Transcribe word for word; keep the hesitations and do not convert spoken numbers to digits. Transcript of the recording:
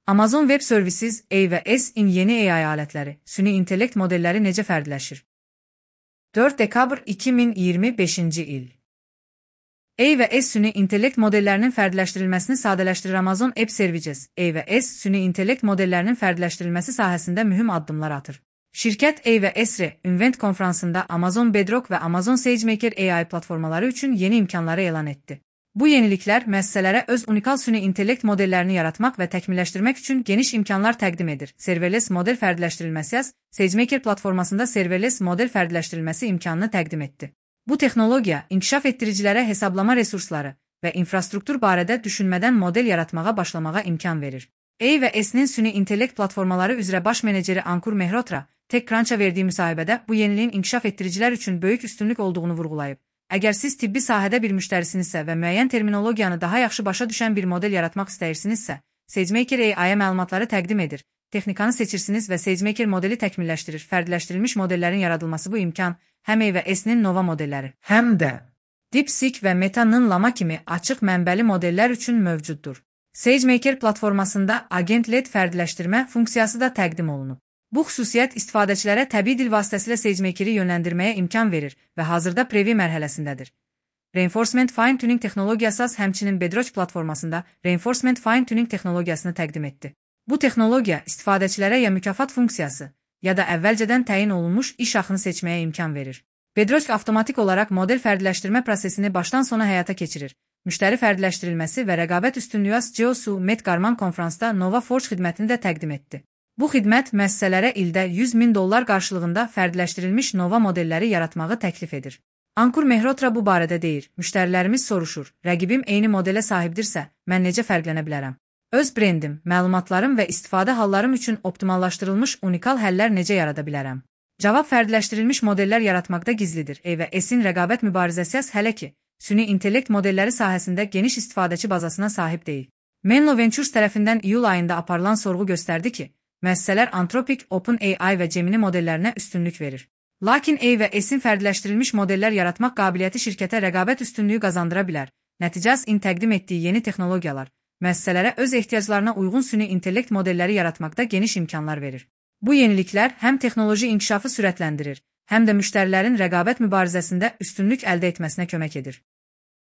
Amazon Web Services, A və S-in yeni A I alətləri, süni intellekt modelləri necə fərqləşir? dörd dekabr iki min iyirmi beşinci il. A və S süni intellekt modellərinin fərqləşdirilməsini sadələşdirir. Amazon Web Services, A və S süni intellekt modellərinin fərqləşdirilməsi sahəsində mühüm addımlar atır. Şirkət A və S Invent konfransında Amazon Bedrock və Amazon SageMaker A I platformaları üçün yeni imkanları elan etdi. Bu yeniliklər müəssisələrə öz unikal süni intellekt modellərini yaratmaq və təkmilləşdirmək üçün geniş imkanlar təqdim edir. Serverless model fərdləşdirilməsi SageMaker platformasında serverless model fərdləşdirilməsi imkanını təqdim etdi. Bu texnologiya inkişaf etdiricilərə hesablama resursları və infrastruktur barədə düşünmədən model yaratmağa başlamağa imkan verir. A və S-nin süni intellekt platformaları üzrə baş meneceri Ankur Mehrotra, TechCrunch'a verdiyi müsahibədə bu yeniliyin inkişaf etdiricilər üçün böyük üstünlük olduğunu vurğulayıb. Əgər siz tibbi sahədə bir müştərisinizsə və müəyyən terminologiyanı daha yaxşı başa düşən bir model yaratmaq istəyirsinizsə, SageMaker A I-yə məlumatları təqdim edir. Texnikanı seçirsiniz və SageMaker modeli təkmilləşdirir. Fərdləşdirilmiş modellərin yaradılması bu imkan həm A və S-nin nova modelləri, həm də DeepSeek və Meta-nın Llama kimi açıq mənbəli modellər üçün mövcuddur. SageMaker platformasında agent-led fərdləşdirmə funksiyası da təqdim olunub. Bu xüsusiyyət istifadəçilərə təbii dil vasitəsilə SageMaker-i yönləndirməyə imkan verir və hazırda preview mərhələsindədir. Reinforcement Fine-Tuning texnologiyası həmçinin Bedrock platformasında Reinforcement Fine-Tuning texnologiyasını təqdim etdi. Bu texnologiya istifadəçilərə ya mükafat funksiyası, ya da əvvəlcədən təyin olunmuş iş axını seçməyə imkan verir. Bedrock avtomatik olaraq model fərdləşdirmə prosesini başdan sona həyata keçirir. Müştəri fərdləşdirilməsi və rəqabət üstünlüyü Geosu Met Qarman konfransda Nova Forge xidmətini də təqdim etdi. Bu xidmət müəssisələrə ildə yüz min dollar qarşılığında fərdləşdirilmiş nova modelləri yaratmağı təklif edir. Ankur Mehrotra bu barədə deyir, müştərilərimiz soruşur, rəqibim eyni modelə sahibdirsə, mən necə fərqlənə bilərəm? Öz brendim, məlumatlarım və istifadə hallarım üçün optimallaşdırılmış unikal həllər necə yarada bilərəm? Cavab fərdləşdirilmiş modellər yaratmaqda gizlidir. A və S-in rəqabət mübarizəsi hələ ki, süni intellekt modelləri sahəsində geniş istifadəçi bazasına sahib deyil. Menlo Ventures tərəfindən iyul ayında aparılan sorğu göstərdi ki, müəssisələr Anthropic, OpenAI və Gemini modellərinə üstünlük verir. Lakin A və S-in fərdləşdirilmiş modellər yaratmaq qabiliyyəti şirkətə rəqabət üstünlüyü qazandıra bilər. Nəticəs-in təqdim etdiyi yeni texnologiyalar müəssisələrə öz ehtiyaclarına uyğun süni intellekt modelləri yaratmaqda geniş imkanlar verir. Bu yeniliklər həm texnoloji inkişafı sürətləndirir, həm də müştərilərin rəqabət mübarizəsində üstünlük əldə etməsinə kömək edir.